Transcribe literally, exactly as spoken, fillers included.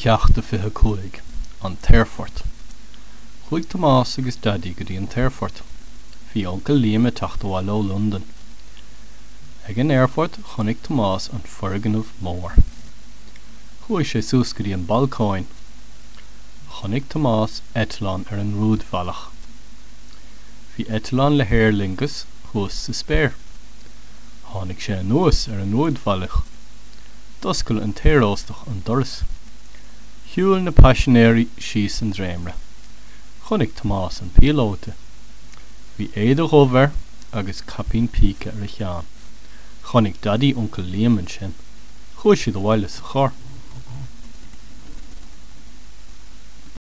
Ceacht a fiche cúig, An tAerfort. Chuaigh Tomás agus Daidí go dtí an t-aerfort. Bhí Uncail Liam ag teacht abhaile ó Londain. Ag an aerfort chonaic Tomás an foirgneamh mór. Chuaigh sé suas go dtí an balcóin. Chonaic Tomás eitleán ar an rúidbhealach. Bhí eitleán le hAer Lingus thuas sa spéir. Tháinig sé anuas ar an rúidbhealach. D'oscail an t-aeróstach an doras. Shiúil na paisinéirí síos an dréimire. Chonaic Tomás an píolóta. Bhí éide dhubh air agus caipín píce ar a cheann. Chonaic Daidí Uncail Liam ansin. Chuaigh siad abhaile sa charr.